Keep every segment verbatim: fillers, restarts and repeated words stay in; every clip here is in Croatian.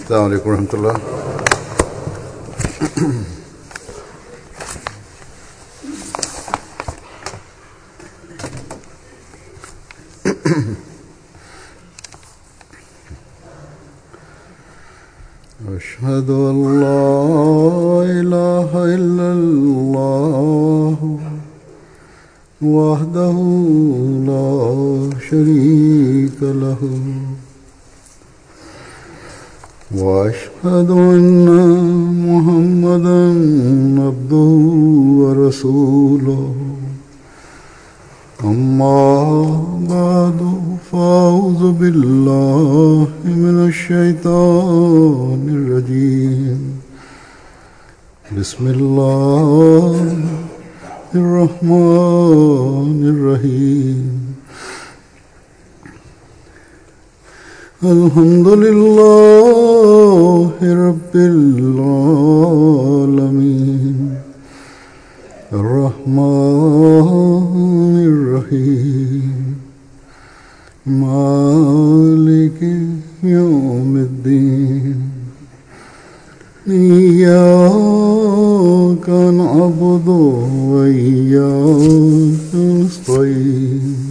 السلام عليكم ورحمة الله. أشهد أن لا إله إلا الله وحده لا شريك له وأشهد أن محمدا عبده ورسوله أما بعد فأعوذ بالله من الشيطان الرجيم بسم الله الرحمن الرحيم الحمد لله رب العالمين الرحمن الرحيم مالك يوم الدين إياك نعبد وإياك نستعين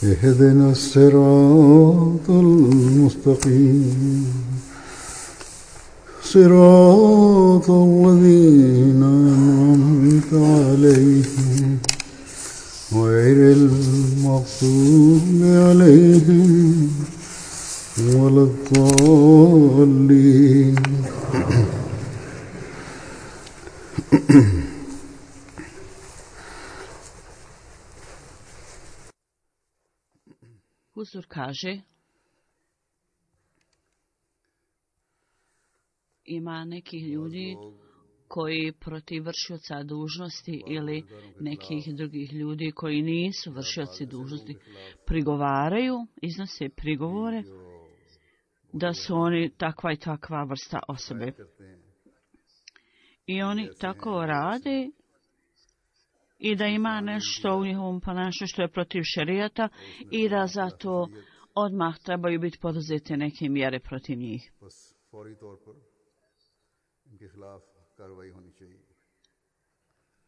اهدنا الصراط المستقيم صراط الذين أنعمت عليهم غير المغضوب عليهم ولا الضالين. Huzur kaže, ima nekih ljudi koji protiv vršioca dužnosti ili nekih drugih ljudi koji nisu vršioci dužnosti prigovaraju, iznose prigovore da su oni takva i takva vrsta osobe. I oni tako rade i da ima nešto u njihovom ponašanju što je protiv šerijata i da zato odmah trebaju biti poduzete neke mjere protiv njih.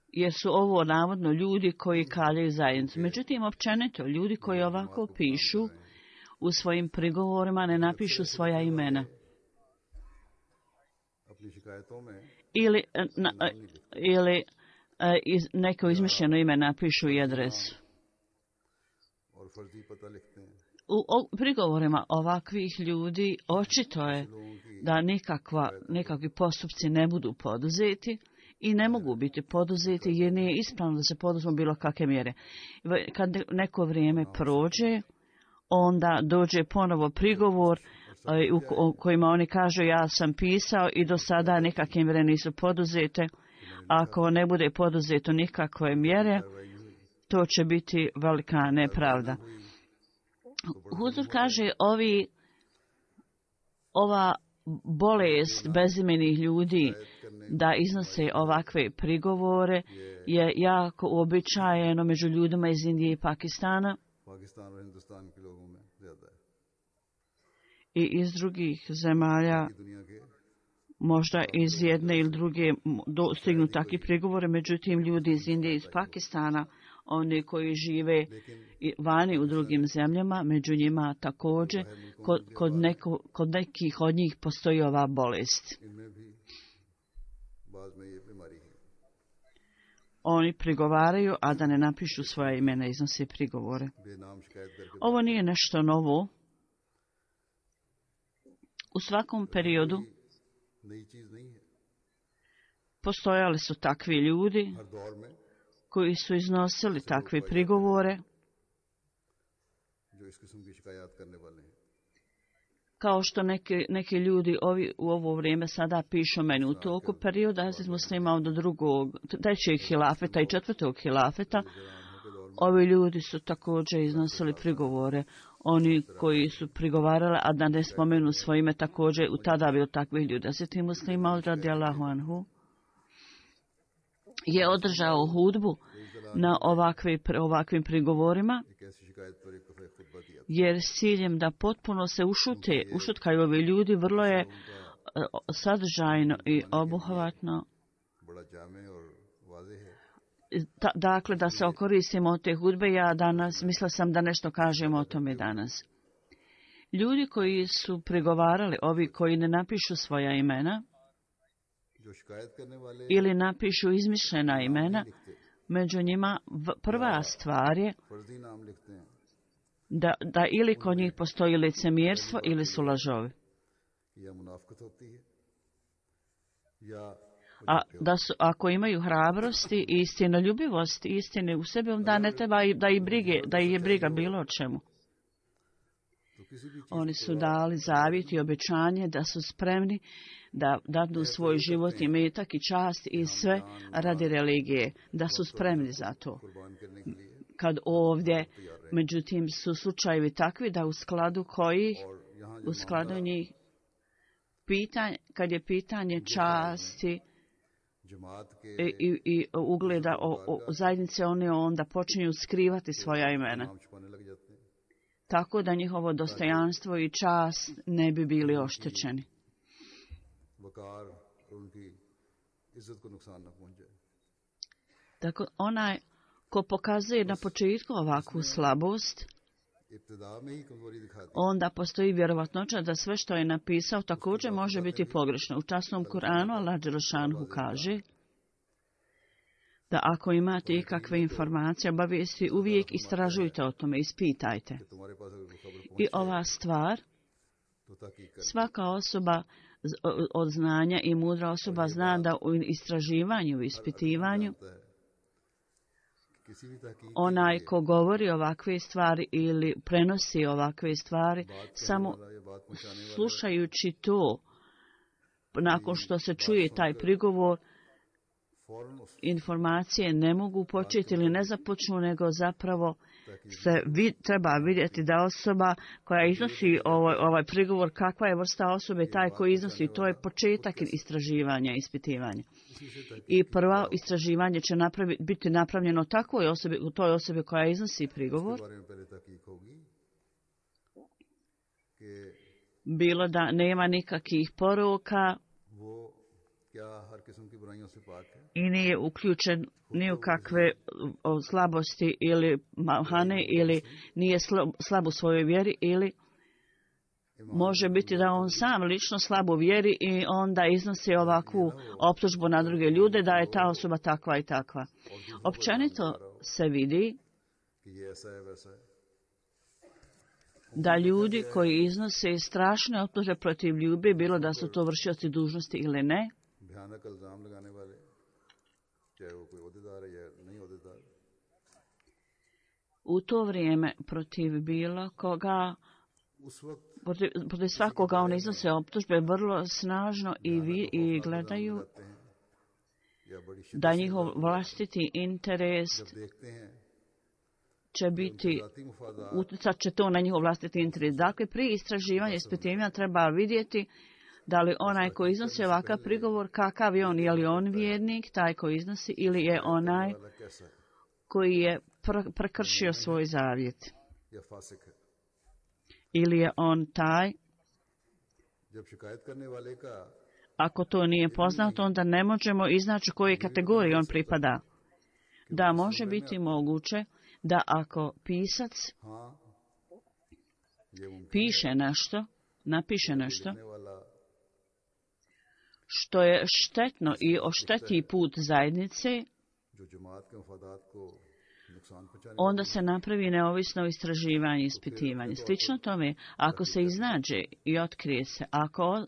Jer su ovo navodno ljudi koji kaljaju zajednicu. Međutim, općenito, ljudi koji ovako pišu u svojim prigovorima ne napišu svoja imena. Ili, na, ili iz, neko izmišljeno ime napišu i adresu. U o, prigovorima ovakvih ljudi očito je da nikakva, nikakvi postupci ne budu poduzeti i ne mogu biti poduzeti jer nije ispravno da se poduzmu bilo kakve mjere. Kad neko vrijeme prođe, onda dođe ponovo prigovor u kojima oni kažu ja sam pisao i do sada nikakve mjere nisu poduzete. Ako ne bude poduzeto nikakve mjere, to će biti velika nepravda. Huzur kaže, ovi, ova bolest bezimenih ljudi da iznose ovakve prigovore je jako uobičajeno među ljudima iz Indije i Pakistana i iz drugih zemalja. Možda iz jedne ili druge stignu takvi prigovore, međutim ljudi iz Indije i iz Pakistana, oni koji žive vani u drugim zemljama, među njima također, kod, kod, neko, kod nekih od njih postoji ova bolest. Oni prigovaraju, a da ne napišu svoja imena, iznose prigovore. Ovo nije nešto novo. U svakom periodu postojali su takvi ljudi koji su iznosili takve prigovore, kao što neki, neki ljudi ovi, u ovo vrijeme sada pišu meni. U toku perioda Hazret Muslima do drugog, trećeg hilafeta i četvrtog hilafeta, ovi ljudi su također iznosili prigovore. Oni koji su prigovarali, a da ne spomenu svoje ime, također u tada bilo takvih ljudi. Hazret Muslima radijallahu anhu je održao hudbu na ovakve, ovakvim prigovorima, jer s ciljem da potpuno se ušute, ušutkaju ovi ljudi, vrlo je sadržajno i obuhvatno, Ta, dakle, da se okoristimo od te hudbe. Ja danas, mislila sam da nešto kažemo o tome danas. Ljudi koji su prigovarali, ovi koji ne napišu svoja imena ili napišu izmišljena imena, među njima prva stvar je da, da ili kod njih postoji licemjerstvo ili su lažovi. A da su, ako imaju hrabrosti i istinoljubivost, istine u sebi, onda ne treba da ih brige, da ih je briga bilo o čemu. Oni su dali zavjet i obećanje da su spremni da dadu svoj život i metak i čast i sve radi religije, da su spremni za to. Kad ovdje, međutim, su slučajevi takvi da u skladu koji, u skladu njih, pitanje, kad je pitanje časti i, i, i ugleda o, o zajednice, oni onda počinju skrivati svoja imena, tako da njihovo dostojanstvo i čast ne bi bili oštećeni. Tako onaj ko pokazuje na početku ovakvu slabost, onda postoji vjerovatnoća da sve što je napisao također može biti pogrešno. U časnom Kur'anu Allah dželešanu kaže da ako imate ikakve informacije, obavijesti, uvijek istražujte o tome, ispitajte. I ova stvar, svaka osoba od znanja i mudra osoba zna da u istraživanju, u ispitivanju, onaj ko govori ovakve stvari ili prenosi ovakve stvari, samo slušajući to, nakon što se čuje taj prigovor, informacije ne mogu početi ili ne započnu, nego zapravo se vid, treba vidjeti da osoba koja iznosi ovaj, ovaj prigovor, kakva je vrsta osobe, taj koji iznosi, to je početak istraživanja, ispitivanja. I prvo istraživanje će napravi, biti napravljeno takvoj osobi, u toj osobi koja iznosi prigovor, bilo da nema nikakvih poroka i nije uključen ni u kakve slabosti ili mahane, ili nije slab u svojoj vjeri, ili može biti da on sam lično slab u vjeri i onda iznosi ovakvu optužbu na druge ljude da je ta osoba takva i takva. Općenito se vidi da ljudi koji iznose strašne optužbe protiv ljudi, bilo da su to vršioci dužnosti ili ne, u to vrijeme protiv bilo koga, protiv, protiv svakoga oni iznose optužbe vrlo snažno i, vi, i gledaju da njihov vlastiti interes će biti, utjecat će to na njihov vlastiti interes. Dakle, prije istraživanja i ispitivanja treba vidjeti da li onaj koji iznosi ovakav prigovor, kakav je on, je li on vjernik, taj koji iznosi, ili je onaj koji je pr- prekršio svoj zavjet. Ili je on taj, ako to nije poznato, onda ne možemo iznaći kojoj kategoriji on pripada. Da može biti moguće da ako pisac piše nešto, napiše nešto, što je štetno i ošteti put zajednice, onda se napravi neovisno istraživanje i ispitivanje. Slično tome, ako se iznađe i otkrije se, ako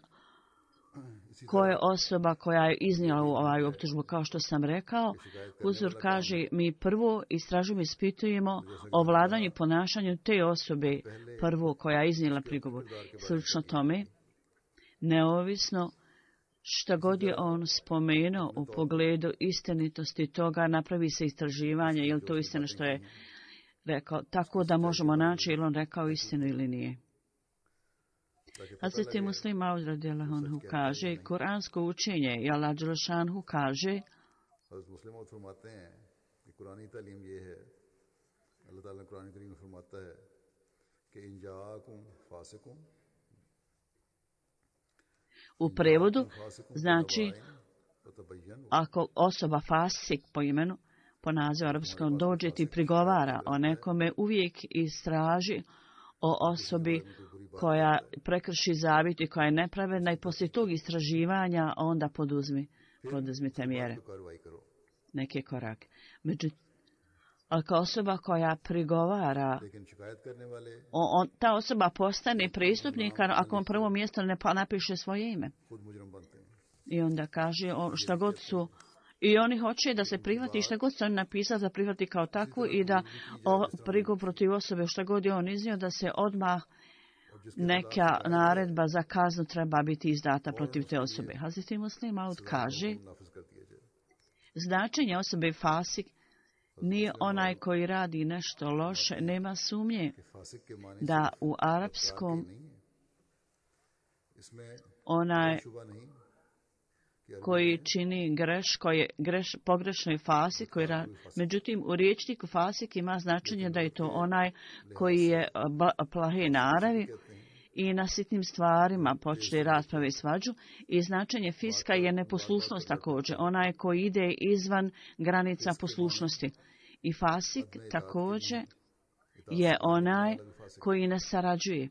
ko je osoba koja je iznijela ovaj optužbu, kao što sam rekao, Huzur kaže, mi prvo istražujemo i ispitujemo o vladanju i ponašanju te osobe, prvo koja je iznijela prigovor. Slično tome, neovisno šta god je on spomenuo u pogledu istinitosti toga, napravi se istraživanje, je li to istina što je rekao, tako da možemo naći ili on rekao istinu ili nije. Hazreti Muslim Maud radijallahu anhu kaže, kuransko učenje, i Allah dželešanu kaže, कुरानी तालीम ये है, अल्लाह ताला ने कुरान करीम में फरमाता है कि इन जाकुम फासिकुम, u prevodu znači ako osoba fasik po imenu, po nazivu arapskom, dođe ti prigovara o nekome, uvijek istraži o osobi koja prekrši zavjet i koja je nepravedna i poslije tog istraživanja onda poduzmi, poduzmite mjere, neke korake. Međutim, ako osoba koja prigovara, on, ta osoba postane prestupnik ako on prvo mjesto ne napiše svoje ime. I onda kaže on, šta god su, i oni hoće da se prihvati šta god se on napisao za prihvati kao takvu i da o, prigovor protiv osobe šta god je on iznio da se odmah neka naredba za kaznu treba biti izdata protiv te osobe. Hazreti Muslim Maud kaže, značenje osobe fasik nije onaj koji radi nešto loše, nema sumnje da u arapskom onaj koji čini greško je greš, pogrešno je fasik, koji ra... međutim u riječniku fasik ima značenje da je to onaj koji je plahe naravi i na sitnim stvarima počne rasprave i svađu, i značenje fiska je neposlušnost također, onaj koji ide izvan granica poslušnosti. I fasik također je onaj koji ne sarađuje.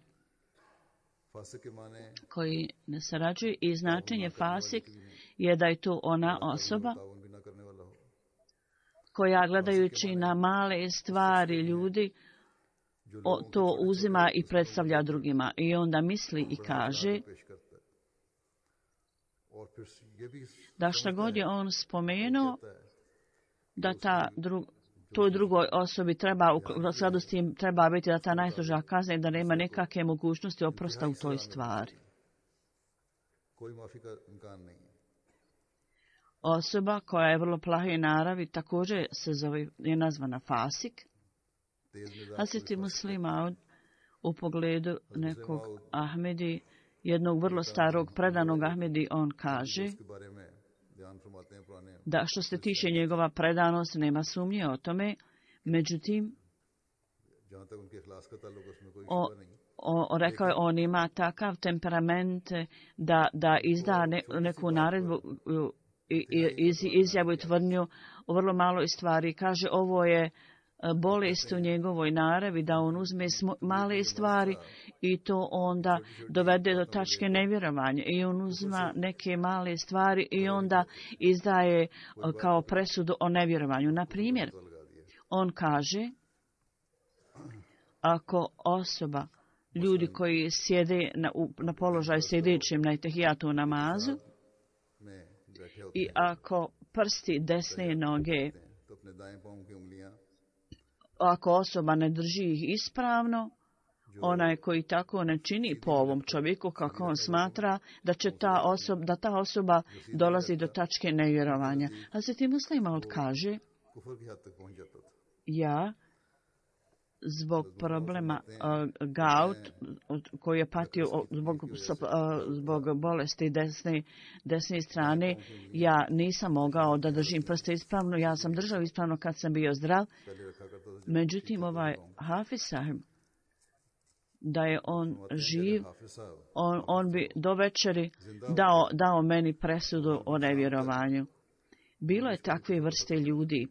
Koji ne sarađuje i značenje fasik je da je to ona osoba koja gledajući na male stvari ljudi o, to uzima i predstavlja drugima i onda misli i kaže da šta god je on spomenuo da ta drug, toj drugoj osobi treba, u skladu s tim treba biti da ta najstroža kazna i da nema nekakve mogućnosti oprosta u toj stvari. Osoba koja je vrlo plahe naravi također se zove, je nazvana fasik. Hazreti Muslim Maud u pogledu nekog Ahmedi, jednog vrlo starog predanog Ahmedi, on kaže da što se tiče njegova predanost nema sumnje o tome, međutim o, o, rekao je on ima takav temperament da, da izda ne, neku naredbu i iz, izjavu i tvrdnju o vrlo maloj stvari. Kaže ovo je bolest u njegovoj naravi da on uzme male stvari i to onda dovede do tačke nevjerovanja i on uzma neke male stvari i onda izdaje kao presudu o nevjerovanju. Na primjer, on kaže ako osoba, ljudi koji sjede na, na položaju sjedećem na tehijatu namazu i ako prsti desne noge, ako osoba ne drži ih ispravno, onaj koji tako ne čini po ovom čovjeku kako on smatra da će ta osoba, da ta osoba dolazi do tačke nevjerovanja. A se ti Muslim Maud kaže, ja zbog problema uh, gout koji je patio zbog, uh, zbog bolesti desne, desne strane, ja nisam mogao da držim prste ispravno, ja sam držao ispravno kad sam bio zdrav. Međutim, ovaj Hafiz sahib, da je on živ, on, on bi do večeri dao, dao meni presudu o nevjerovanju. Bilo je takve vrste ljudi.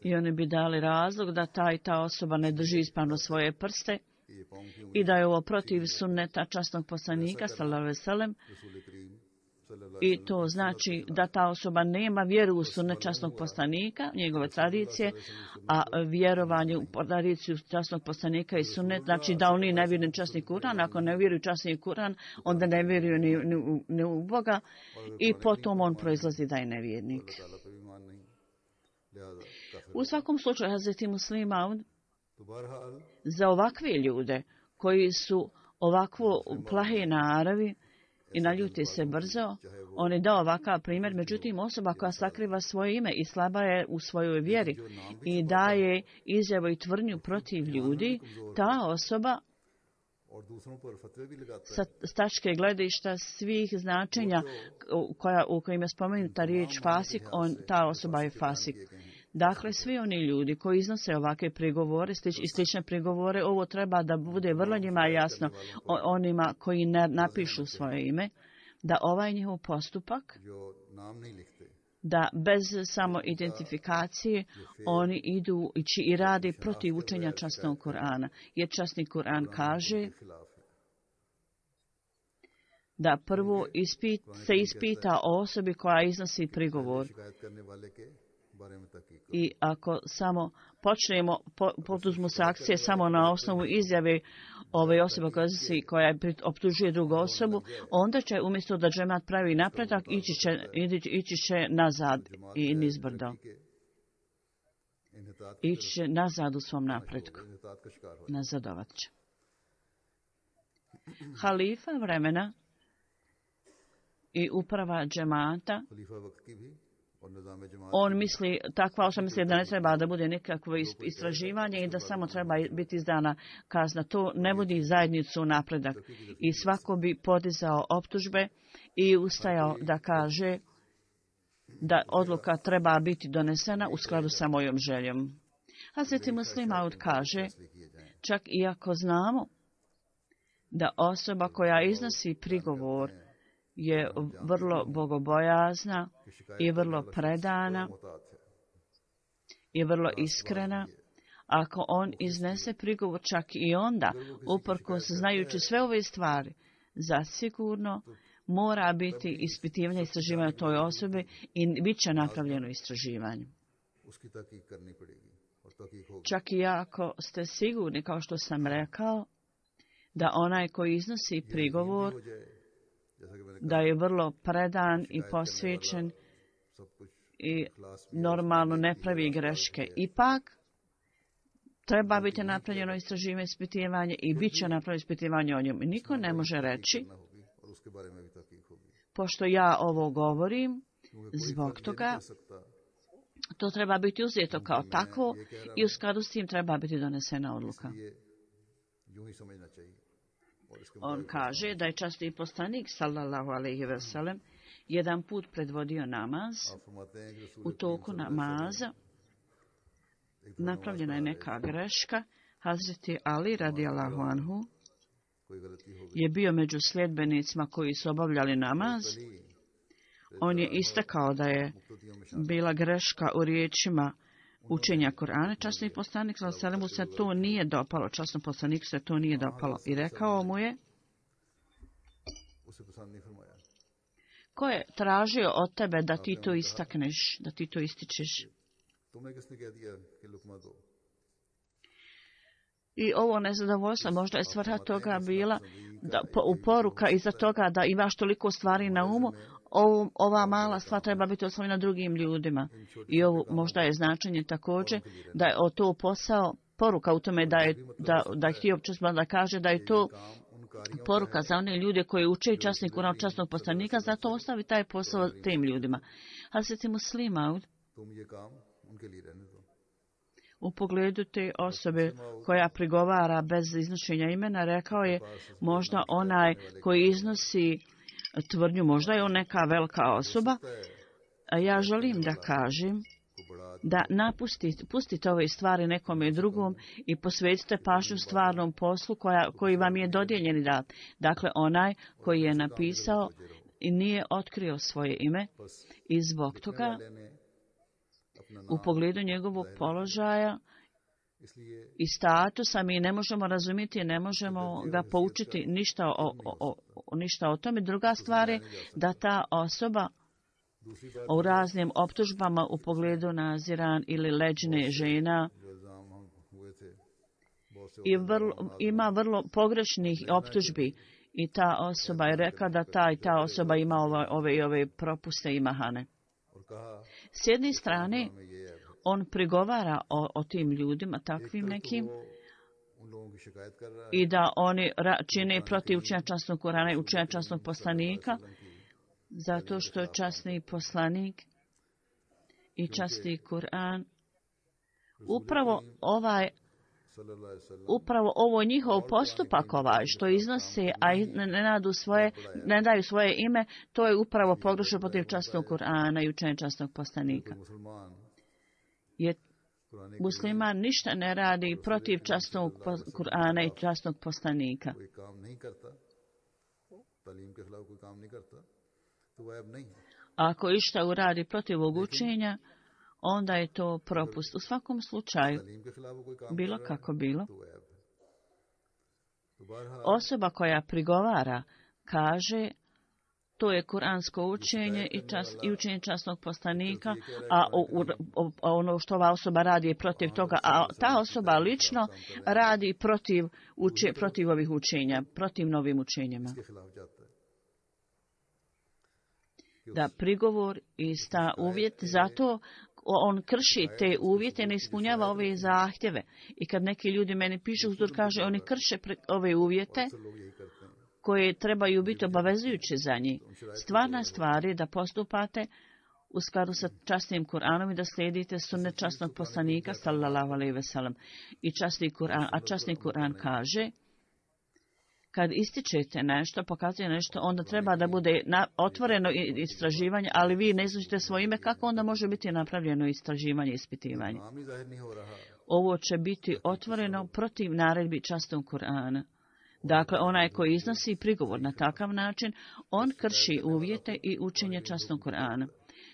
I oni bi dali razlog da ta i ta osoba ne drži ispravno svoje prste i da je ovo protiv sunneta časnog poslanika sallallahu alejhi ve sellem, i to znači da ta osoba nema vjeru u sunnet časnog poslanika, njegove tradicije, a vjerovanje u tradiciju časnog poslanika i sunnet znači da oni ne vjeruju časni Kuran. Ako ne vjeruju časni Kuran, onda ne vjeruju ni, ni, ni u Boga i potom on proizlazi da je nevjernik. U svakom slučaju, Hazreti Muslim Maud za ovakve ljude koji su ovakvo plahe naravi i naljuti se brzo, on je dao ovakav primjer. Međutim, osoba koja sakriva svoje ime i slaba je u svojoj vjeri i daje izjavu i tvrdnju protiv ljudi, ta osoba sa tačke gledišta svih značenja koja, u kojima je spomenuta riječ fasik, on, ta osoba je fasik. Dakle, svi oni ljudi koji iznose ovakve prigovore slič, i slične prigovore, ovo treba da bude vrlo njima jasno onima koji ne napišu svoje ime, da ovaj njihov postupak, da bez samo identifikacije oni idu i rade protiv učenja časnog Kur'ana. Jer časni Kur'an kaže da prvo ispit, se ispita o osobi koja iznosi prigovor. I ako samo počnemo, po, poduzmu se akcije samo na osnovu izjave ove osobe koja, iznosi, koja optužuje drugu osobu, onda će umjesto da džemat pravi napredak, ići će, ići će nazad i nizbrdo. Ići će nazad u svom napretku. Nazadovat će. Halifa vremena i uprava džemata, on misli, takva osoba misli da ne treba da bude nikakvo istraživanje i da samo treba biti izdana kazna. To ne vodi zajednicu u napredak. I svako bi podizao optužbe i ustajao da kaže da odluka treba biti donesena u skladu sa mojom željom. Hazreti Muslim Maud kaže, čak i ako znamo da osoba koja iznosi prigovor je vrlo bogobojazna i vrlo predana i vrlo iskrena, ako on iznese prigovor čak i onda, uprkos znajući sve ove stvari, zasigurno mora biti ispitivanje istraživanja toj osobi i bit će napravljeno istraživanje. Čak i ako ste sigurni, kao što sam rekao, da onaj koji iznosi prigovor da je vrlo predan i posvećen i normalno ne pravi greške. Ipak, treba biti napravljeno istraživanje, ispitivanje i bit će napravljeno ispitivanje o njemu. Niko ne može reći, pošto ja ovo govorim, zbog toga, to treba biti uzeto kao takvo i u skladu s tim treba biti donesena odluka. On kaže da je časni poslanik sallallahu alejhi ve sellem jedan put predvodio namaz. U toku namaza napravljena je neka greška. Hazreti Ali radijallahu anhu je bio među sljedbenicima koji su obavljali namaz. On je istakao da je bila greška u riječima učenja Kur'ana. Časni poslanik sallallahu alejhi ve sellem se to nije dopalo. Časnom poslaniku se to nije dopalo. I rekao mu je, ko je tražio od tebe da ti to istakneš, da ti to ističeš? I ovo nezadovoljstvo, možda je svrha toga bila da, po, u poruka iza toga da imaš toliko stvari na umu, ovo, ova mala stvar treba biti ostavljena drugim ljudima. I ovo možda je značenje također da je o to posao, poruka u tome da je, da, da je htio časno da kaže da je to poruka za one ljude koji uče časni Kur'an časnog poslanika, zato ostavi taj posao tim ljudima. Hazreti Muslim Maud u pogledu te osobe koja prigovara bez iznošenja imena, rekao je možda onaj koji iznosi tvrdnju, možda je on neka velika osoba, a ja želim da kažem da napustite, pustite ove stvari nekome drugom i posvetite pažnju stvarnom poslu koja, koji vam je dodijeljen dat. Dakle, onaj koji je napisao i nije otkrio svoje ime i zbog toga u pogledu njegovog položaja i statusa mi ne možemo razumjeti, ne možemo ga poučiti ništa o, o, o, ništa o tome. Druga stvar je da ta osoba u raznim optužbama u pogledu naziran ili leđne žena i vrlo, ima vrlo pogrešnih optužbi i ta osoba je rekla da ta i ta osoba ima ove, ove i ove propuste i mahane. S jedne strane, on prigovara o, o tim ljudima, takvim nekim, i da oni čine protiv učenja časnog Kur'ana i učenja časnog poslanika, zato što je časni poslanik i časni Kur'an upravo ovaj upravo ovo njihov postupak ovaj, što iznose, a ne, ne, nadu svoje, ne daju svoje ime, to je upravo pogrešno protiv časnog Kur'ana i učenja časnog poslanika. Jer musliman ništa ne radi protiv časnog Kur'ana i časnog poslanika. Ako išta uradi protiv ovog učenja, onda je to propust. U svakom slučaju, bilo kako bilo, osoba koja prigovara kaže to je kuransko učenje i, čas, i učenje časnog poslanika, a o, o, ono što ova osoba radi je protiv toga, a ta osoba lično radi protiv, uče, protiv ovih učenja, protiv novim učenjima. Da prigovor i sta uvjet, zato on krši te uvjete, ne ispunjava ove zahtjeve. I kad neki ljudi meni pišu, uzdur kaže, oni krše ove uvjete koje trebaju biti obavezujuće za njih. Stvarna stvar je da postupate u skladu sa časnim Kur'anom i da slijedite sunnet časnog poslanika, sallallahu alejhi ve sellem. I časni Kur'an, a časni Kur'an kaže, kad ističete nešto, pokazuje nešto, onda treba da bude na, otvoreno istraživanje, ali vi ne izuzite svoje ime, kako onda može biti napravljeno istraživanje i ispitivanje? Ovo će biti otvoreno protiv naredbi časnog Kur'ana. Dakle, onaj koji iznosi prigovor na takav način, on krši uvjete i učenje časnog Kur'ana.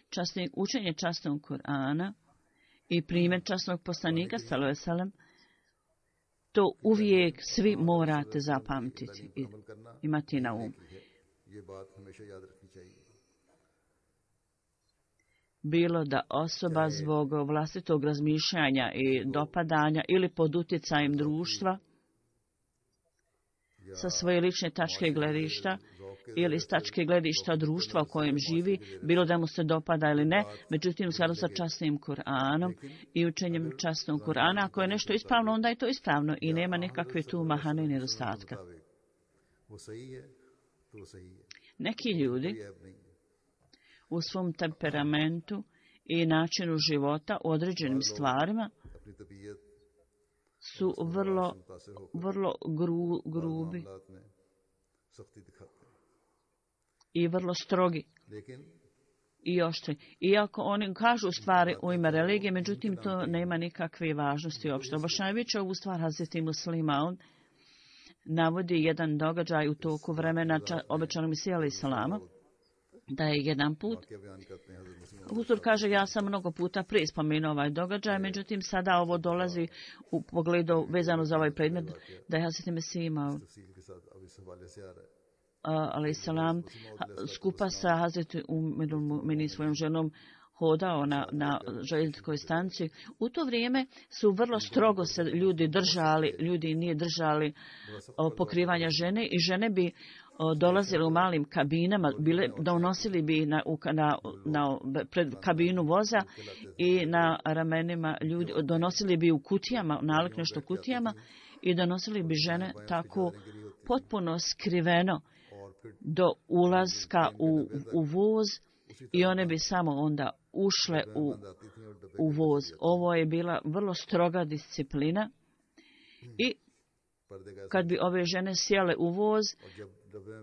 Časni, učenje časnog Kur'ana i primjer časnog poslanika, sallallahu alejhi ve sellem, to uvijek svi morate zapamtiti i imati na um. Bilo da osoba zbog vlastitog razmišljanja i dopadanja ili pod utjecajem društva sa svoje lične tačke gledišta ili s tačke gledišta društva u kojem živi, bilo da mu se dopada ili ne, međutim u skladu sa časnim Kur'anom i učenjem časnog Kur'ana, ako je nešto ispravno, onda je to ispravno i nema nekakve tu mahane i nedostatka. Neki ljudi u svom temperamentu i načinu života u određenim stvarima su vrlo, vrlo gru, grubi i vrlo strogi i oštri. Iako oni kažu stvari u ime religije, međutim to nema nikakve važnosti uopšte. Objašnjavajući ovu stvar, Hazreti Muslimaun navodi jedan događaj u toku vremena obećanog Mesija alejhi selama, da je jedan put, Huzur kaže, ja sam mnogo puta prije spomenuo ovaj događaj, međutim sada ovo dolazi u pogledu vezano za ovaj predmet, da je Hazreti Mesija imao alejhi selam skupa sa Hazreti Ummul Mu'minin svojom ženom hodao na, na željezničkoj stanci. U to vrijeme su vrlo strogo se ljudi držali, ljudi nije držali o, pokrivanja žene i žene bi o, dolazile u malim kabinama, bile, donosili bi na, na, na pred kabinu voza i na ramenima ljudi, donosili bi u kutijama, nalik nešto kutijama i donosili bi žene tako potpuno skriveno do ulaska u, u voz i one bi samo onda ušle u, u voz. Ovo je bila vrlo stroga disciplina i kad bi ove žene sjele u voz,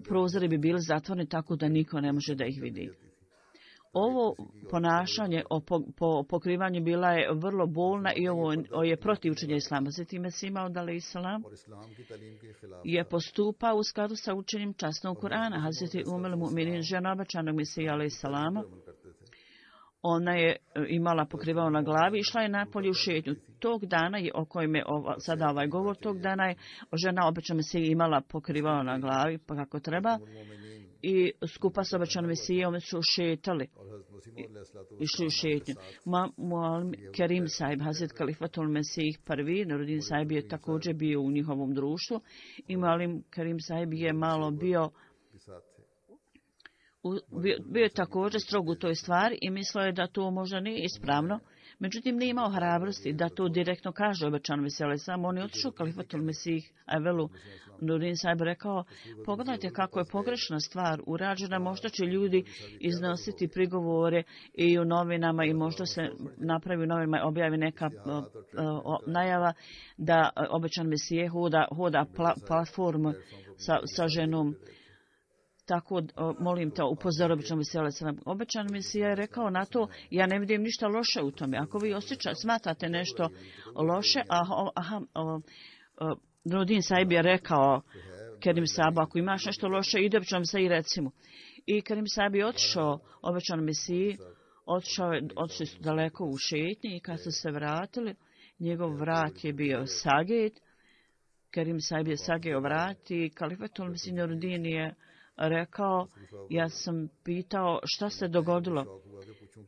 prozori bi bili zatvoreni tako da niko ne može da ih vidi. Ovo ponašanje o po, po, pokrivanju bila je vrlo bolna i ovo je protiv učenja islama. Zatim Mesih Maud alejhi selam je postupao u skladu sa učenjem časnog Kur'ana. Hazreti Ummul Mu'minin, žena obećanog Mesija alejhi selama, ona je imala pokrivao na glavi i išla je napolje u šetnju. Tog dana, je, o kojem je ova, sada ovaj govor, tog dana je žena obećana Mesija imala pokrivao na glavi pa kako treba. I skupa s obećanom Mesijom su šetali, išli u šetnju. Muallim Kerim Sahib, Hazret Kalifatul Mesih prvi, Nuruddin Sahib je također bio u njihovom društvu i Muallim Kerim Sahib je malo bio, bio, bio je također strog u toj stvari i mislio je da to možda nije ispravno. Međutim, nije imao hrabrosti da to direktno kaže obećanom Mesiju. Samo on je otišao kalifatul Mesih Evelu. Nurin Sahib rekao, pogledajte kako je pogrešna stvar urađena, možda će ljudi iznositi prigovore i u novinama i možda se napravi u novinama i objavi neka o, o, najava da obećan Mesije hoda, hoda pla, platformu sa, sa ženom. Tako, molim te, upozor običan Mesija. Obećan Mesija je rekao na to, ja ne vidim ništa loše u tome. Ako vi osjeća, smatrate nešto loše, aha, aha, Nurin Sahib je rekao Kerim Sahibu, ako imaš nešto loše, ide običan Mesija i reci mu. I Kerim Sahib je otišao obećan Mesiji, otišao je, otišli su daleko u šetnji i kad su se vratili, njegov vrat je bio saget. Kerim Sahib je sageo vrat i kalifatul Mesih Nuruddin je rekao, ja sam pitao šta se dogodilo.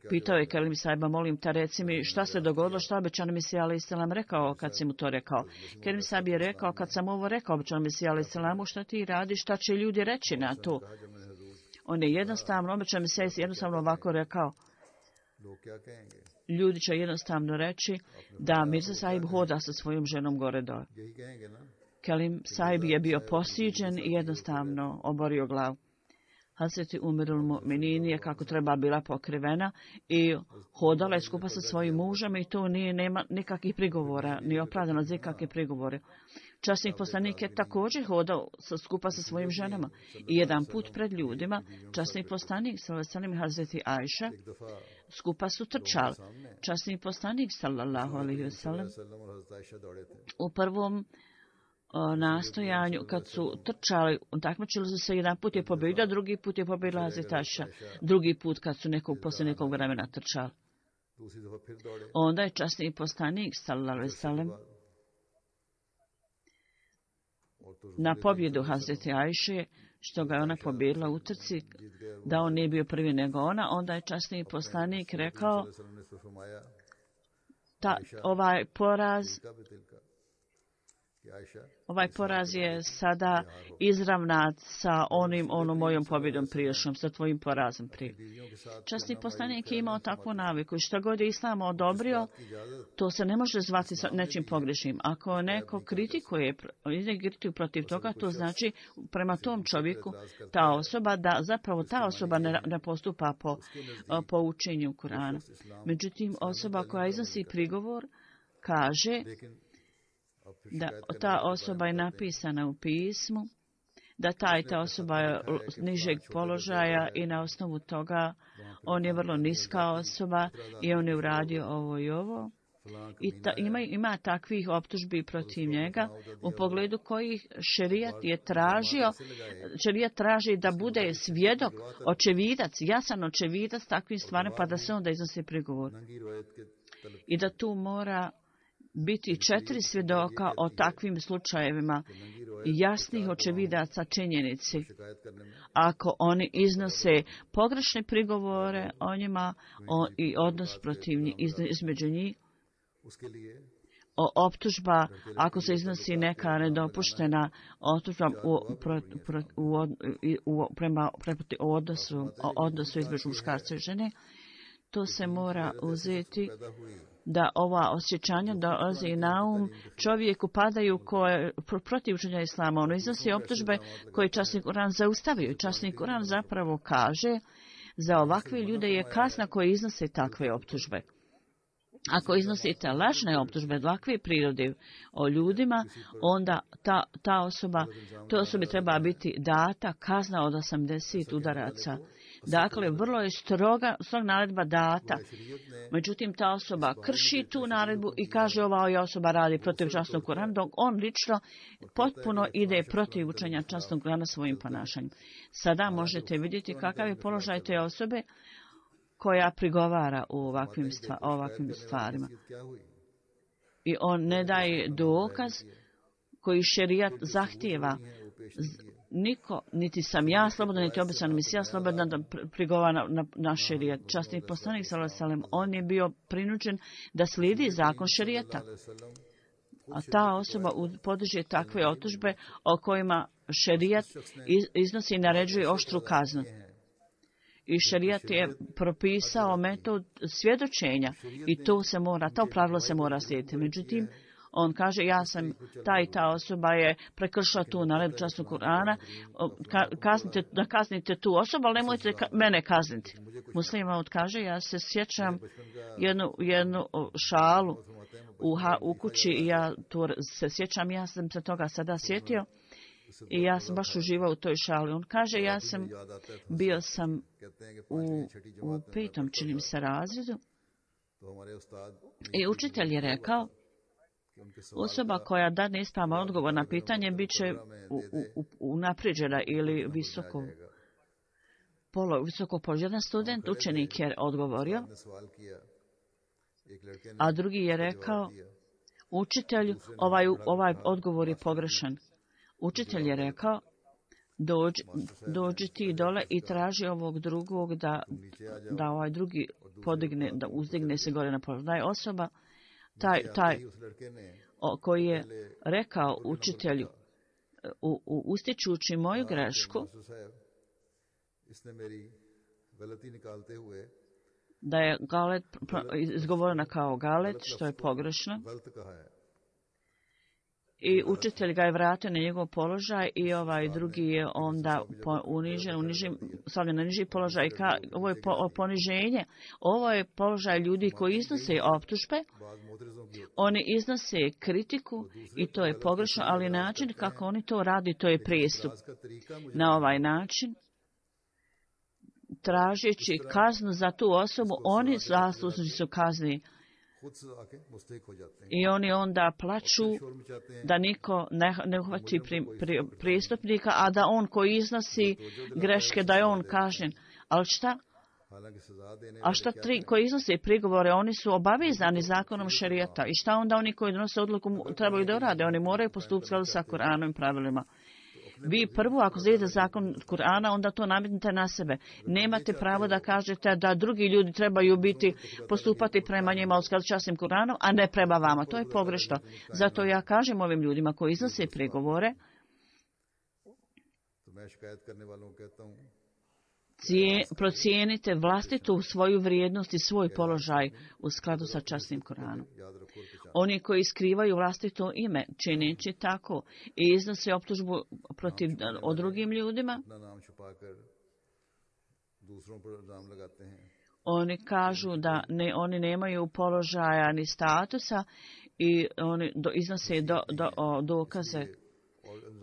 Pitao je Kerim Sahiba, molim te reci mi šta se dogodilo, šta obećan Mesija alejhi selam rekao kad si mu to rekao. Kerim Sahib je rekao, kad sam ovo rekao obećan Mesija alejhi selamu, šta ti radiš, šta će ljudi reći na to. On je jednostavno, obećan Mesija je jednostavno ovako rekao, ljudi će jednostavno reći da Mirza Sahib hoda sa svojom ženom gore dole. Kerim Sahib je bio posiđen i jednostavno oborio glavu. Hazreti Umirul Mu'minin je kako treba bila pokrivena i hodala je skupa sa svojim mužem i to nije, nema nikakvih prigovora, ni opravdano za nikakve prigovore. Časnik poslanik je također hodao sa, skupa sa svojim ženama i jedan put pred ljudima, časnik poslanik sallallahu i Hazreti Ajša skupa su trčali. Časnik poslanik sallallahu alejhi ve sellem u prvom O nastojanju, kad su trčali, takmičili su se, jedan put je pobjedio, drugi put je pobjedila Hazreti Ajša, drugi put kad su nekog poslije nekog vremena trčali. Onda je časni poslanik, sallallahu alejhi ve sellem, na pobjedu Hazreti Ajše, što ga je ona pobjedila u trci, da on nije bio prvi nego ona, onda je časni poslanik rekao, ta, ovaj poraz Ovaj poraz je sada izravnat sa onim, onom mojom pobjedom prijašnjom, sa tvojim porazom prije. Časni poslanik je imao takvu naviku i što god je Islam odobrio, to se ne može zvati nečim pogrešnim. Ako neko kritikuje, kritikuje protiv toga, to znači prema tom čovjeku, ta osoba, da zapravo ta osoba ne, ne postupa po, po učenju Kurana. Međutim, osoba koja iznosi prigovor kaže da ta osoba je napisana u pismu, da ta i ta osoba je nižeg položaja i na osnovu toga on je vrlo niska osoba i on je uradio ovo i ovo. I ta, ima, ima takvih optužbi protiv njega u pogledu kojih šerijat je tražio, šerijat traži da bude svjedok, očevidac, jasan očevidac takvim stvarima pa da se onda iznosi prigovor. I da tu mora biti četiri svjedoka o takvim slučajevima, jasnih očevidaca činjenici. Ako oni iznose pogrešne prigovore o njima o, i odnos protiv njih, između njih, o optužba, ako se iznosi neka nedopuštena optužba u, pro, pro, u, u, prema u odnosu, o odnosu između muškarca i žene, to se mora uzeti da ova osjećanja dolaze na um čovjeku padaju koje protiv učenja Islama. Ono iznosi optužbe koje časni Kuran zaustavio. Časni Kuran zapravo kaže za ovakve ljude je kazna koji iznose takve optužbe. Ako iznosite lažne optužbe ovakve prirode o ljudima, onda ta, ta osoba, to osobi treba biti data kazna od osamdeset udaraca. Dakle, vrlo je stroga, stroga naredba data. Međutim, ta osoba krši tu naredbu i kaže ova osoba radi protiv časnog Kurana, dok on lično potpuno ide protiv učenja časnog Kurana svojim ponašanjem. Sada možete vidjeti kakav je položaj te osobe koja prigovara u ovakvim, stva, ovakvim stvarima. I on ne daje dokaz koji šerijat zahtijeva. Niko, niti sam ja slobodan, niti obećan Mesija slobodan da prigovara na, na šerijat. Časni poslanik sallallahu alejhi ve sellem, on je bio prinuđen da slijedi zakon šerijata. A ta osoba podrži takve optužbe o kojima šerijat iznosi i naređuje oštru kaznu. I šerijat je propisao metod svjedočenja i to se mora, to pravilo se mora slijediti. Međutim, on kaže, ja sam, ta i ta osoba je prekršila tu naredbu časnog Kur'ana, kaznite, da kaznite tu osobu, ali nemojte ka, mene kazniti. Muslima kaže, ja se sjećam jednu, jednu šalu u, u kući i ja tu se sjećam, ja sam se toga sada sjetio i ja sam baš uživao u toj šali. On kaže, ja sam, bio sam u, u petom, činim se, razredu i učitelj je rekao, osoba koja dadne ispravan odgovor na pitanje bit će unaprijeđena ili visoko polo, visoko položen. Jedan student, učenik je odgovorio, a drugi je rekao, učitelju, ovaj, ovaj odgovor je pogrešan. Učitelj je rekao, dođi, dođi ti dole i traži ovog drugog da, da ovaj drugi podigne, da uzdigne se gore na položaj. Da je osoba, taj, taj o, koji je rekao učitelju, u, u, ustičući moju grešku, da je galet izgovorena kao galet, što je pogrešno. I učitelj ga je vratio na njegov položaj i ovaj drugi je onda unižen, unižen, stavljen na niži položaj. I ka, ovo je po, poniženje. Ovo je položaj ljudi koji iznose optužbe, oni iznose kritiku i to je pogrešno, ali način kako oni to radi, to je prijestup. Na ovaj način, tražeći kaznu za tu osobu, oni zaslužni su kazni. I oni onda plaču da niko ne, ne uhvati pri, pri, prijestupnika, a da on koji iznosi greške, da je on kažnjen. Ali šta? A šta tri koji iznose prigovore, oni su obavezani zakonom šerijata. I šta onda oni koji donose odluku trebaju da rade? Oni moraju postupiti sa Kur'anovim pravilima. Vi prvo, ako slijedite zakon Kur'ana, onda to nametnite na sebe. Nemate pravo da kažete da drugi ljudi trebaju biti, postupati prema njima u skladu s časnim Kur'anom, a ne prema vama. To je pogrešno. Zato ja kažem ovim ljudima koji iznose prigovore, Cije, procijenite vlastitu svoju vrijednost i svoj položaj u skladu sa časnim Koranom. Oni koji skrivaju vlastito ime, čineći tako i iznose optužbu protiv o drugim ljudima, oni kažu da ne, oni nemaju položaja ni statusa i oni do, iznose do, do, o, dokaze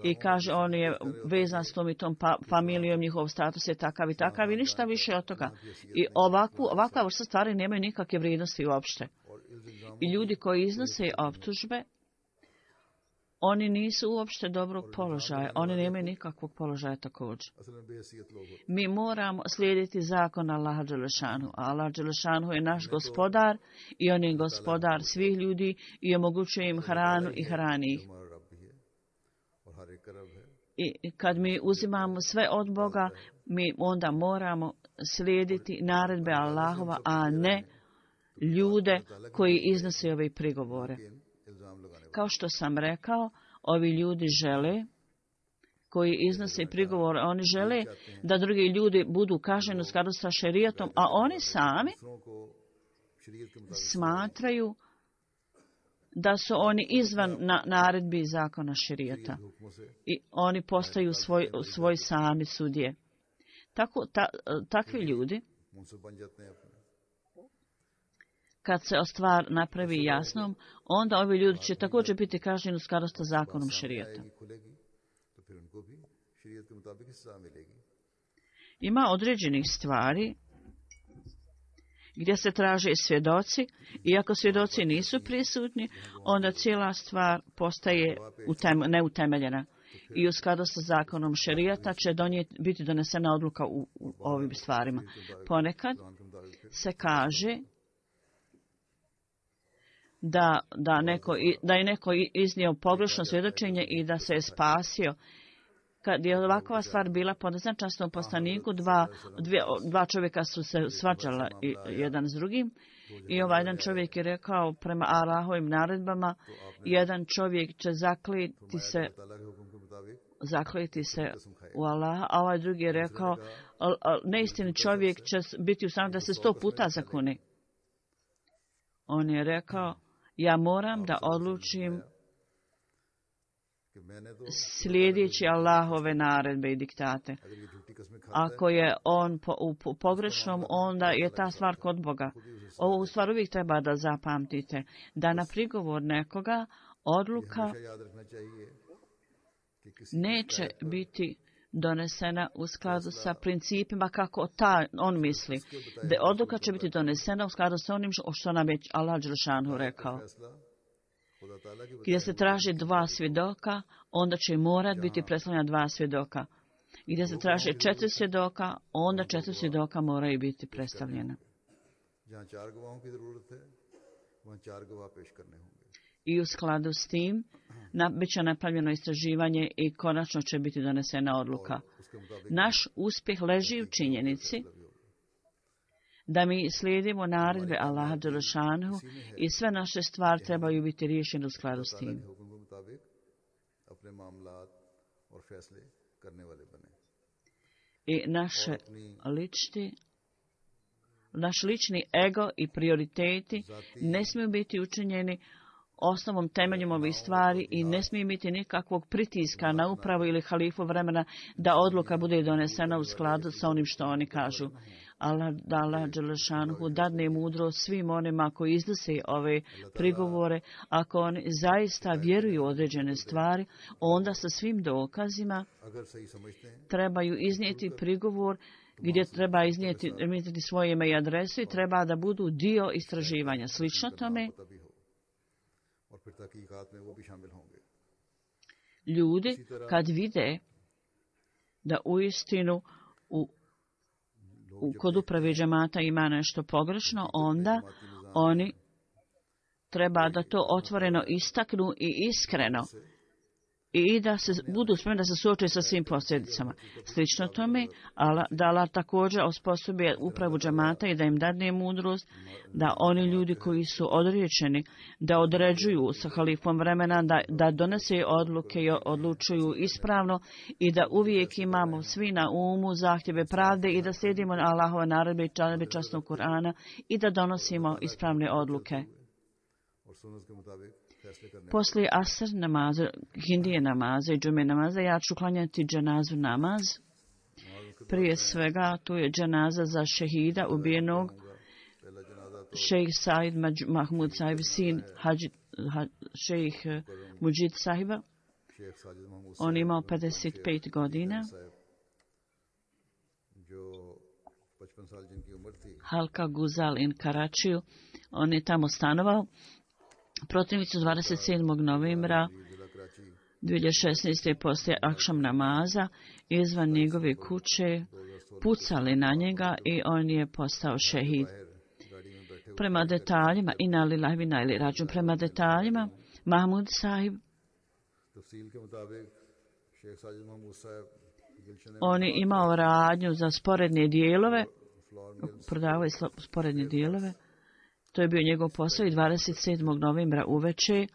i kaže on je vezan s tom i tom pa, familijom, njihov status je takav i takav i ništa više od toga. I ovakvu, ovakva vrsta stvari nemaju nikakve vrijednosti uopšte. I ljudi koji iznose optužbe, oni nisu uopšte dobrog položaja, oni nemaju nikakvog položaja također. Mi moramo slijediti zakon Allaha Đelešanu. Allah Đelešanu je naš gospodar i on je gospodar svih ljudi i omogućuje im hranu i hrani ih. I kad mi uzimamo sve od Boga, mi onda moramo slijediti naredbe Allahova, a ne ljude koji iznose ove prigovore. Kao što sam rekao, ovi ljudi žele, koji iznose prigovore, oni žele da drugi ljudi budu kažnjeni u skladu sa šerijatom, a oni sami smatraju da su oni izvan na, naredbi zakona šerijata i oni postaju svoj, svoj sami sudje. Tako, ta, takvi ljudi, kad se stvar napravi jasnom, onda ovi ljudi će također biti kažnjeni u skladu sa zakonom šerijata. Ima određenih stvari gdje se traže svjedoci i ako svjedoci nisu prisutni, onda cijela stvar postaje utem, neutemeljena. I u skladu sa zakonom šerijata će donijeti, biti donesena odluka u, u ovim stvarima. Ponekad se kaže da, da, neko, da je neko iznio pogrešno svjedočenje i da se je spasio. Kad je ovakva stvar bila po neznačajnom poslaniku, dva, dvije, dva čovjeka su se svađala jedan s drugim i ovaj jedan čovjek je rekao prema Allahovim naredbama, jedan čovjek će zakleti se, zakleti se u Allaha, a ovaj drugi je rekao, neistini čovjek će biti u stanju da se sto puta zakune. On je rekao, ja moram da odlučim slijedeći Allahove naredbe i diktate. Ako je on po, u pogrešnom, onda je ta stvar kod Boga. Ovo u stvar uvijek treba da zapamtite, da na prigovor nekoga odluka neće biti donesena u skladu sa principima kako ta, on misli. Da odluka će biti donesena u skladu sa onim što nam je Allah dželešanu rekao. Gdje se traži dva svjedoka, onda će morat biti predstavljena dva svjedoka. Gdje se traži četiri svjedoka, onda četiri svjedoka moraju biti predstavljena. I u skladu s tim na, bit će napravljeno istraživanje i konačno će biti donesena odluka. Naš uspjeh leži u činjenici da mi slijedimo naredbe Allaha dželešanu i sve naše stvari trebaju biti riješene u skladu s tim. I naše lični, naš lični ego i prioriteti ne smiju biti učinjeni osnovom temeljem ovih stvari i ne smije biti nikakvog pritiska na upravu ili halifu vremena da odluka bude donesena u skladu sa onim što oni kažu. Allah, da Allah dželešanuhu dadne mudro svim onima koji iznose ove prigovore. Ako oni zaista vjeruju u određene stvari, onda sa svim dokazima trebaju iznijeti prigovor gdje treba iznijeti, iznijeti svoje ime i adresu i treba da budu dio istraživanja. Slično tome, ljudi kad vide da uistinu u, u kod uprave džemata ima nešto pogrešno, onda oni treba da to otvoreno istaknu i iskreno i da se budu spremni da se suoče sa svim posljedicama. Slično tome, da Allah također osposobi upravu džemata i da im dadne mudrost, da oni ljudi koji su odriječeni, da određuju sa halifom vremena, da, da donese odluke i odlučuju ispravno i da uvijek imamo svi na umu zahtjeve pravde i da slijedimo Allahove naredbe i naredbe časnog Kur'ana i da donosimo ispravne odluke. Poslije asr namaza, hindije namaza i džume namaza, ja ću klanjati dženazu namaz. Prije svega, tu je dženaza za šehida ubijenog šejh Said Mahmud Sahib, sin hađi, ha, šejh Mujid Sahiba. On imao pedeset pet godina. Halka Guzal in Karačiju. On je tamo stanovao. Protivnici dvadeset sedmog novembra dvije hiljade šesnaeste. poslije akšam namaza izvan njegove kuće pucali na njega i on je postao šehid. Prema detaljima, ina lillahi wa inna ilaihi rađun, prema detaljima, Mahmud Sahib, on je imao radnju za sporedne dijelove, prodavao je sporedne dijelove. To je bio njegov posao i dvadeset sedmog novembra uveče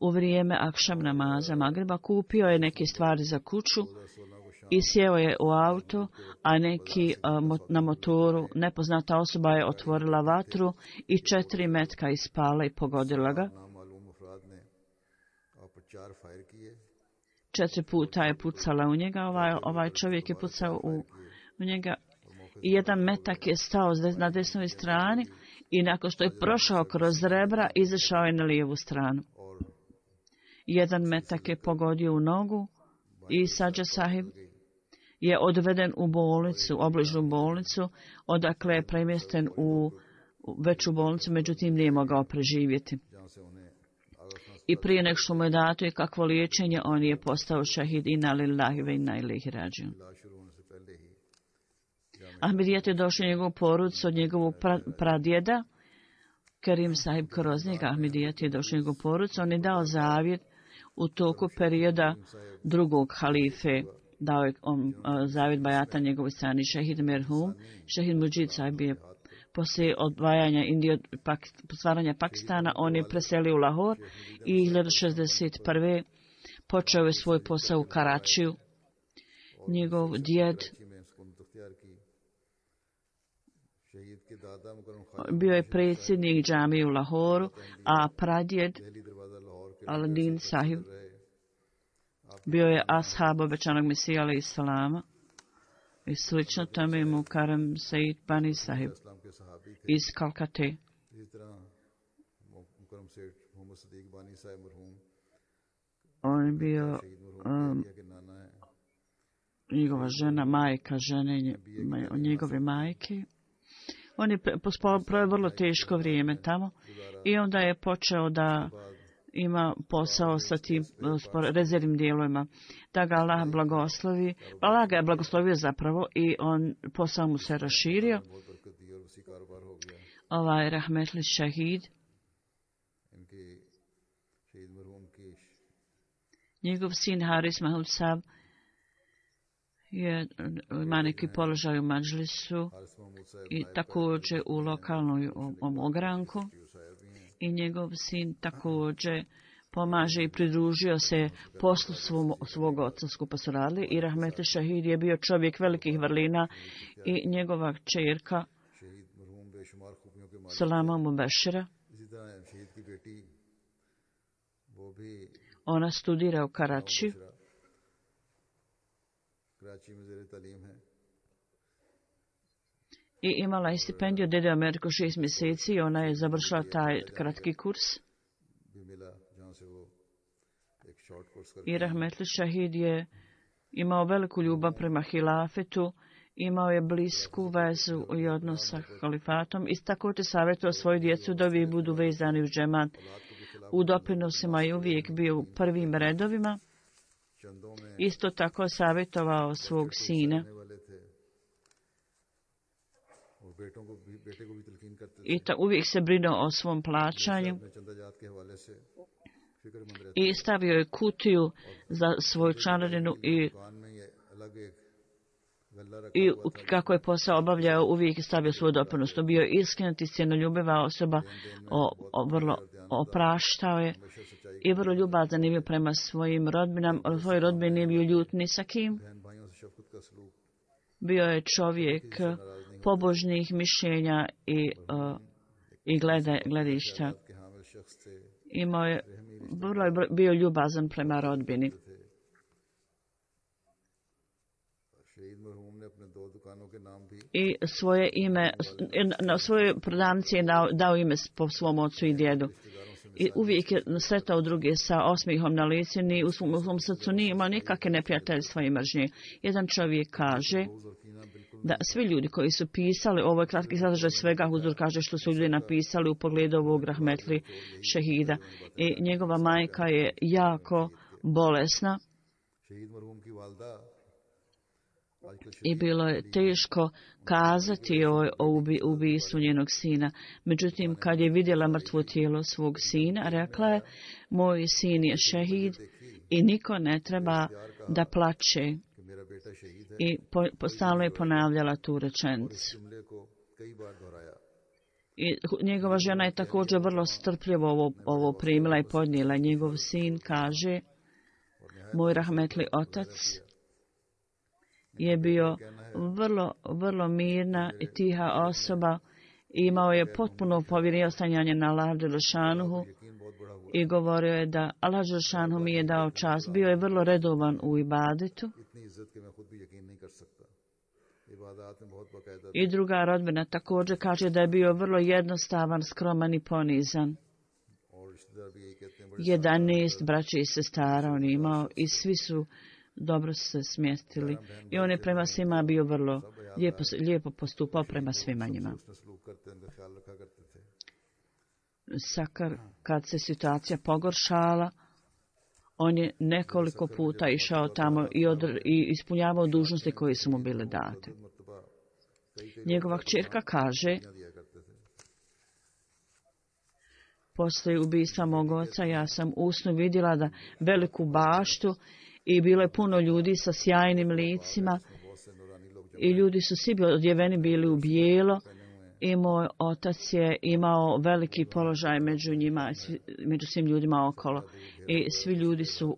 u vrijeme akšam namaza Magreba kupio je neke stvari za kuću i sjeo je u auto, a neki na motoru nepoznata osoba je otvorila vatru i četiri metka ispala i pogodila ga. Četiri puta je pucala u njega, ovaj, ovaj čovjek je pucao u, u njega i jedan metak je stao na desnoj strani. I nakon što je prošao kroz rebra, izašao je na lijevu stranu. Jedan metak je pogodio u nogu i Sađa Sahib je odveden u bolnicu, obližnu bolnicu, odakle je premješten u veću bolnicu, međutim nije mogao preživjeti. I prije nek što mu je dato i kakvo liječenje, on je postao šahid inna lillahi wa inna ilaihi rađiun. Ahmedijat je došao njegovu porodicu od njegovog pra, pradjeda, Kerim Sahib Kroznjeg. Ahmedijat je došao njegovu porodicu. On je dao zavjet u toku perioda drugog halife. Dao je on, uh, zavjet bajata njegovoj strani šehid Merhum. Šehid Mujid Sahib je poslije odvajanja Indije od pak, stvaranja Pakistana, on je preselio u Lahor i hiljadu šezdeset prve. počeo je svoj posao u Karačiju njegov djed bio je predsjednik džamije u Lahoru, a pradjed Aladin Sahib bio je ashab obećanog Mesija alejhi salama i slično tome mu Karam Said Bani Sahib iz Kalkate. On je bio um, njegova žena, majka žene, njegove majke. On je proveo vrlo teško vrijeme tamo i onda je počeo da ima posao sa tim rezervnim dijelovima. Da ga Allah blagoslovi. Allah ga je blagoslovio zapravo i on posao mu se raširio. Ovaj rahmetli šehid, njegov sin Haris Mahmud Saab je, ima neki položaj u Madžlisu i također u lokalnoj ogranku. I njegov sin također pomaže i pridružio se poslu svom, svog oca, skupa su radili. I rahmetli šehid je bio čovjek velikih vrlina i njegova kćerka Salama Mubešira. Ona studira u Karačiju. I imala je stipendiju od Dede Ameriku šest mjeseci i ona je završila taj kratki kurs. I rahmetli šehid je imao veliku ljubav prema hilafetu, imao je blisku vezu i odnos sa halifatom i također savjetovao svoju djecu da uvijek budu vezani u džemat. U doprinosima je uvijek bio u prvim redovima. Isto tako savjetovao svog sina. I ta, uvijek se brinuo o svom plaćanju. I stavio je kutiju za svoju članarinu i I kako je posao obavljao, uvijek je stavio svoj doprinos. To bio iskrenut i sjenoljubiva osoba, o, o, vrlo opraštao je i vrlo ljubazan je bio prema svojim rodbinama. Svoj rodbin nije bio ljut ni sa kim. Bio je čovjek pobožnih mišljenja i, uh, i glede, gledišta. Imao je, vrlo je bio ljubazan prema rodbini. I svoje ime, na svoje prodavnice je dao, dao ime po svom ocu i djedu. I uvijek je sretao druge sa osmihom na licu, ni u svom, u svom srcu nije imao nikakve neprijateljstva i mržnje. Jedan čovjek kaže da svi ljudi koji su pisali, ovo je kratki sadržaj svega, Huzur kaže što su ljudi napisali u pogledu ovog rahmetli šehida. I njegova majka je jako bolesna. I bilo je teško kazati o, o ubistvu njenog sina. Međutim, kad je vidjela mrtvo tijelo svog sina, rekla je, moj sin je šehid i niko ne treba da plače. I po, po, stalno je ponavljala tu rečenicu. I njegova žena je također vrlo strpljivo ovo, ovo primila i podnijela. Njegov sin kaže, moj rahmetli otac je bio vrlo, vrlo mirna i tiha osoba. Imao je potpuno povjerenje ostanjanje na Allah Đelešanuhu i govorio je da Allah Đelešanuhu mi je dao čast. Bio je vrlo redovan u ibadetu. I druga rodbina također kaže da je bio vrlo jednostavan, skroman i ponizan. Jedanaest braće i sestara on imao i svi su dobro se smjestili. I on je prema svima bio vrlo lijepo, lijepo postupao prema svima njima. Sakar, kad se situacija pogoršala, on je nekoliko puta išao tamo i, odr, i ispunjavao dužnosti koje su mu bile date. Njegova kćerka kaže, poslije ubistva mog oca, ja sam usnu vidjela da veliku baštu i bilo je puno ljudi sa sjajnim licima i ljudi su svi odjeveni bili u bijelo i moj otac je imao veliki položaj među njima, među svim ljudima okolo i svi ljudi su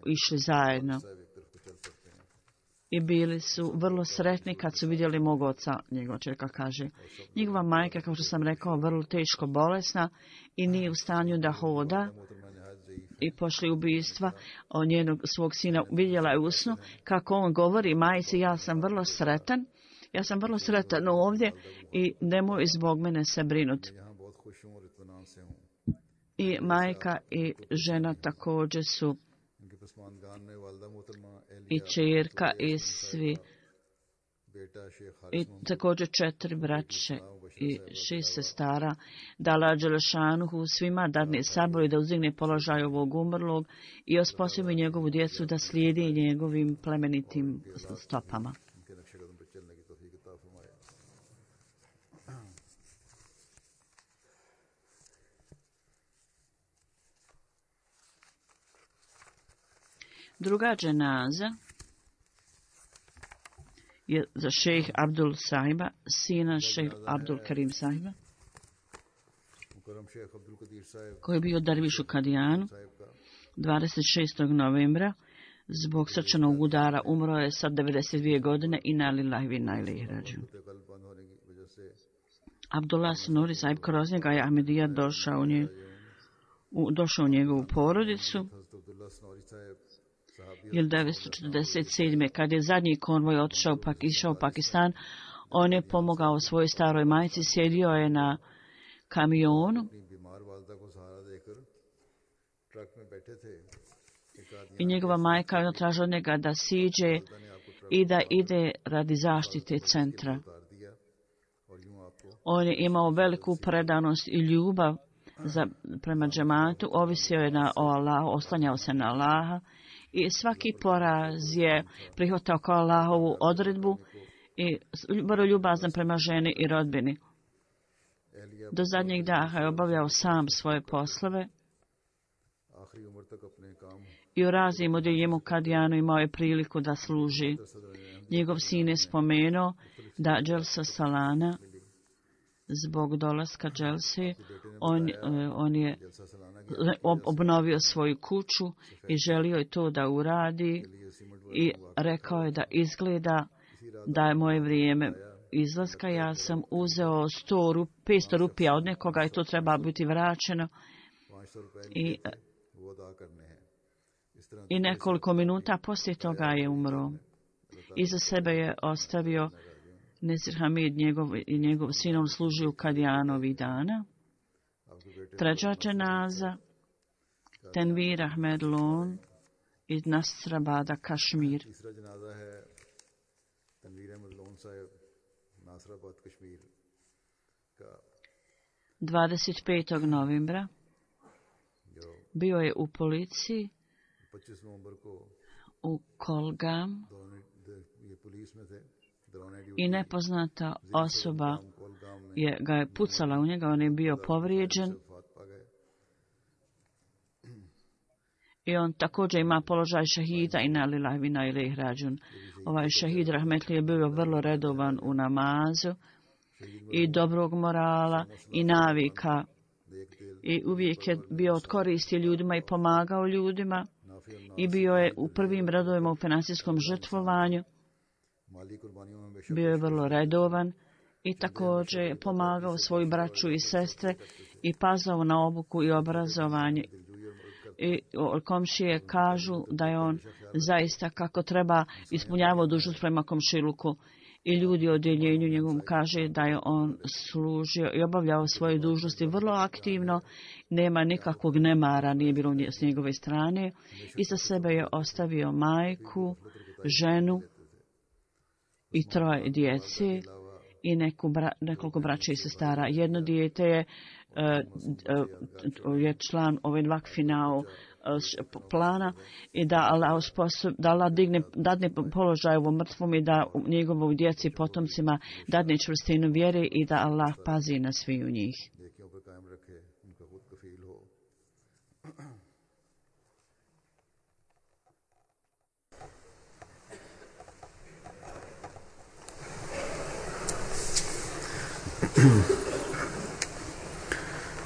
išli zajedno. i bili su vrlo sretni kad su vidjeli mog oca, njegova čerka kaže. Njegova majka, kao što sam rekao, vrlo teško bolesna i nije u stanju da hoda i pošli ubijstva od njenog svog sina. Vidjela je u snu kako on govori majci, ja sam vrlo sretan, ja sam vrlo sretan ovdje i nemoj zbog mene se brinuti. I majka i žena također su i čerka i svi i također četiri braće i šest sestara, da Allah Đelešanuhu svima dadne sabor i da uzdigne položaj ovog umrlog i osposobi njegovu djecu da slijedi njegovim plemenitim stopama. Druga dženaza je za šejh Abdul Sahiba, sina šejh Abdul Karim Sahiba, koji je bio derviš u Kadijanu dvadeset šestog novembra. Zbog srčanog udara umro je sa devedeset dvije godine i na lillahi wa inna ilaihi rađiun. Abdullah Nuri Sahib kroz njega je Ahmedija došao u, nje, u, došao u njegovu porodicu. hiljadu devetsto četrdeset sedme. kad je zadnji konvoj otišao pak, išao u Pakistan, on je pomogao svojoj staroj majci, sjedio je na kamionu i njegova majka je tražila od njega da siđe i da ide radi zaštite centra. On je imao veliku predanost i ljubav za, prema džematu, ovisio je na, o Allahu, oslanjao se na Allaha i svaki poraz je prihvatao kao Allahovu odredbu i vrlo ljubazan prema ženi i rodbini. Do zadnjeg daha je obavljao sam svoje poslove i u raznim odjeljenju Kadijanu imao je priliku da služi. Njegov sin je spomenuo da Dželsa Salana, zbog dolaska Dželse, on, on je obnovio svoju kuću i želio je to da uradi i rekao je da izgleda da je moje vrijeme izlaska. Ja sam uzeo sto, petsto rupija od nekoga i to treba biti vraćeno i, i nekoliko minuta poslije toga je umro. Iza sebe je ostavio Nesir Hamid, njegov, njegov sin, on služi u Kadijanovi dana. Treća dženaza, Tenvir Ahmed Lon iz Nasrabada, Kašmir. dvadeset petog novembra bio je u policiji u Kolgam i nepoznata osoba je, ga je pucala u njega, on je bio povrijeđen i on također ima položaj šahida i na lillahi wa inna ilaihi rađiun. Ovaj šahid rahmetli je bio vrlo redovan u namazu i dobrog morala i navika i uvijek je bio od koristi ljudima i pomagao ljudima i bio je u prvim redovima u financijskom žrtvovanju. Bio je vrlo redovan i također je pomagao svoju braću i sestre i pazao na obuku i obrazovanje. I komšije kažu da je on zaista kako treba ispunjavao dužnost prema komšiluku. I ljudi u odjeljenju njegovom kaže da je on služio i obavljao svoje dužnosti vrlo aktivno, nema nikakvog nemara, nije bilo s njegove strane. Iza sebe je ostavio majku, ženu i troje djece i neku bra, nekoliko braća i sestara. Jedno dijete je, uh, uh, je član ovaj vakfinao uh, plana i da Allah, sposob, da Allah digne, dadne položaj ovom mrtvom i da njegovoj djeci potomcima dadne čvrstinu vjere i da Allah pazi na svi u njih.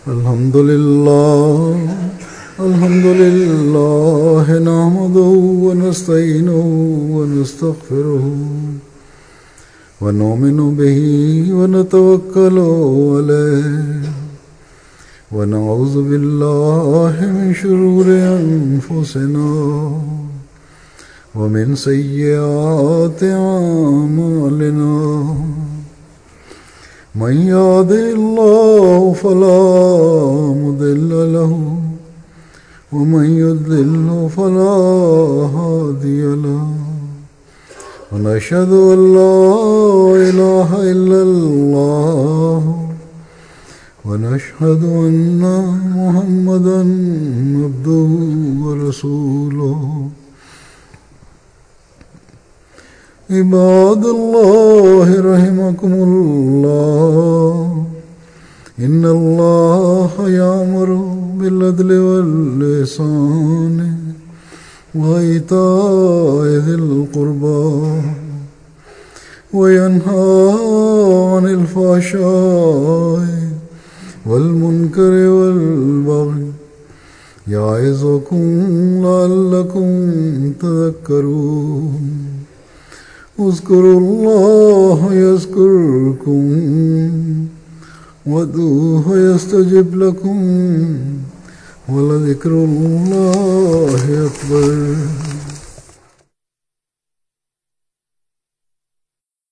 الحمد لله الحمد لله نحمده ونستعينه ونستغفره ونؤمن به ونتوكل عليه ونعوذ بالله من شرور أنفسنا ومن سيئات أعمالنا من يهده الله فلا مضل له ومن يضلل فلا هادي له ونشهد أن لا إله إلا الله ونشهد أن محمدا عبده ورسوله عباد الله رحمكم الله إن الله يأمر بالعدل والإحسان وإيتاء ذي القربى وينهى عن الفحشاء والمنكر والبغي يعظكم لعلكم تذكرون اذكروا الله يذكركم وادعوه يستجب لكم ولذكر الله أكبر.